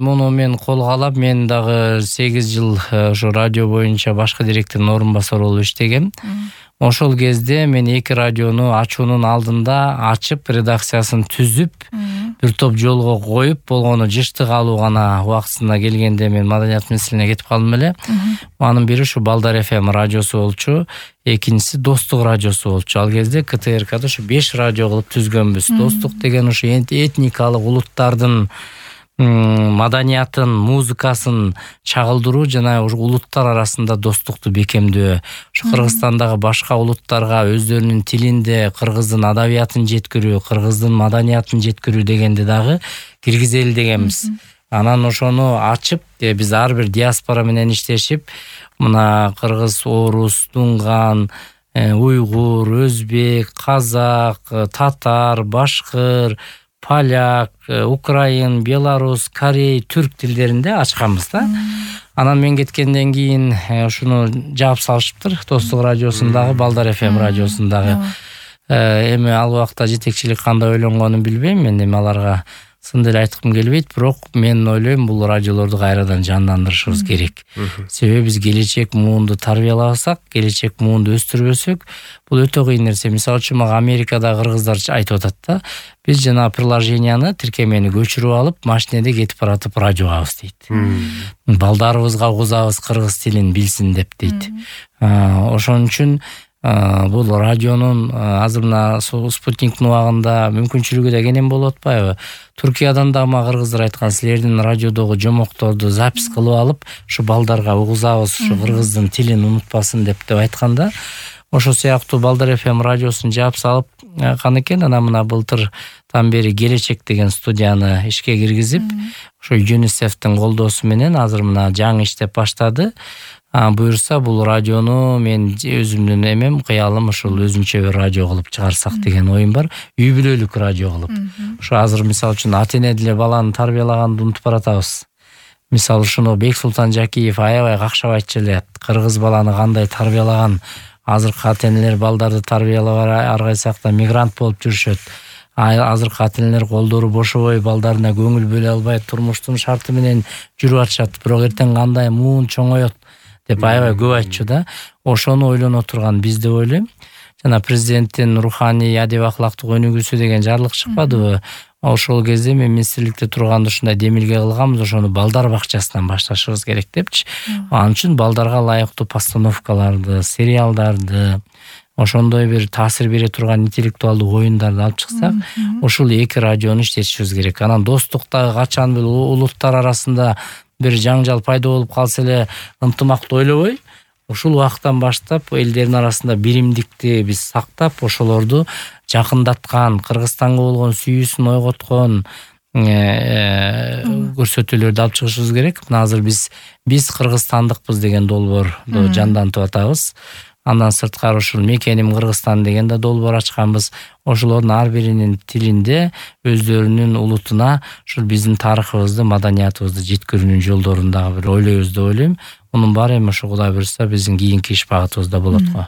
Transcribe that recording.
муну мен колго алып, мен дагы 8 жыл ошо радио боюнча башкы директордун орун басары болуп иштегем. Ошол кезде мен 2 радиону ачуунун алдында ачып, редакциясын түзүп, бир топ жолго коюп, болгону жыштык алуу гана убактысына келгенде мен маданият министрлигине кетип калдым эле. Анын бири ушу Балдар ФМ радиосу болчу, экинчиси Достук радиосу болчу. Ал кезде КТРКда ушу 5 радио кылып түзгөнбүз. Достук деген ушу этникалык улуттардын маданиятын, музыкасын чагылдыруу жана улуттар арасында достукту бекемдөө. Ушу Кыргызстандагы башка улуттарга өздөрүнүн тилинде кыргыздын адабиятын жеткирүү, кыргыздын маданиятын жеткирүү дегенди дагы киргизели дегенбиз. Анан ошону ачып, биз ар бир диаспора менен иштешип, мына кыргыз, орус, дунган, уйгур, өзбек, казак, татар, башкыр, поляк, украин, белорус, корей, түрк тилдеринде ачканбыз да. Анан мен кеткенден кийин ушуну жаап салышыптыр. Достук радиосундагы, Балдар ФМ радиосундагы. Эми ал убакта жетекчилик кандай ойлонгонун билбейм. Мен эми аларга сын деле айткым келбейт, бирок мен ойлойм бул радиолорду кайрадан жандандырышыбыз керек. Себеби биз келечек муунду тарбиялабасак, келечек муунду өстүрбөсөк, бул өтө кыйын нерсе. Мисалы үчүн мага Америкадагы кыргыздар айтып атат да, биз жана приложенияны, тиркемени көчүрүп алып, машинеде кетип баратып радио угабыз дейт. Балдарыбызга угузабыз кыргыз тилин билсин деп дейт. Ошон үчүн бул радионун азыр мына спутниктин убагында мүмкүнчүлүгү да кенен болуп атпайбы? Туркиядан да мага кыргыздар айткан, силердин радиодогу жомокторду запись кылып алып, ушу балдарга угузабыз, ушу кыргыздын тилин унутпасын деп айтканда, ошо сыяктуу Балдар ФМ радиосун жаап салып канекен. Анан мына былтырдан бери Келечек деген студияны ишке киргизип, ошо ЮНИСЕФтин колдоосу менен азыр мына жаңы иштеп баштады. Буюрса бул радиону мен өзүмдүн эмем, кыялым ушул өзүнчө бир радио кылып чыгарсак деген оюм бар. Үй бүлөлүк радио кылып. Ошо азыр мисалы үчүн ата-эне деле баланы тарбиялаганды унутуп баратабыз. Мисалы ушуну Бексултан Жакиев аябай какшап айтчу эле. Кыргыз баланы кандай тарбиялаган, азыркы ата-энелер балдарды тарбиялабай ар кайсакта мигрант болуп жүрүшөт. Азыркы ата-энелер колдору бошобой балдарына көңүл бөлө албай турмуштун шарты менен жүрүп атышат. Бирок эртең кандай муун чоңоет деп аябай көп айтчу да. Ошону ойлоно турган биз деп ойлойм. Жана президенттин руханий адеп акылактык өнүгүүсү деген жарлык чыкпадыбы? Ошол кезде мен министрликте турганда ушундай демилге кылганбыз, ошону балдар бакчасынан башташыбыз керек депчи. Ал үчүн балдарга ылайыктуу постановкаларды, сериалдарды, ошондой бир таасир бере турган интеллектуалдуу оюндарды алып чыксак, ушул 2 радиону иштетишибиз керек. Анан достуктагы качан бир улуттар арасында бир жаңжал пайда болуп калса эле ынтымакты ойлобой, ушул убакыттан баштап элдердин арасында биримдикти биз сактап, ошолорду жакындаткан, Кыргызстанга болгон сүйүүсүн ойготкон көрсөтүүлөрдү алып чыгышыбыз керек. Мына азыр биз кыргызстандыкпыз деген долбоорду жандантып атабыз. Андан сырткары ушул Мекеним Кыргызстан деген да долбоор ачканбыз. Ошолордун ар биринин тилинде өздөрүнүн улутуна ушул биздин тарыхыбызды, маданиятыбызды жеткирүүнүн жолдорун дагы бир ойлойбуз деп ойлойм. Мунун баары эми ошо Кудай буйрса биздин кийинки иш багытыбызда болот го.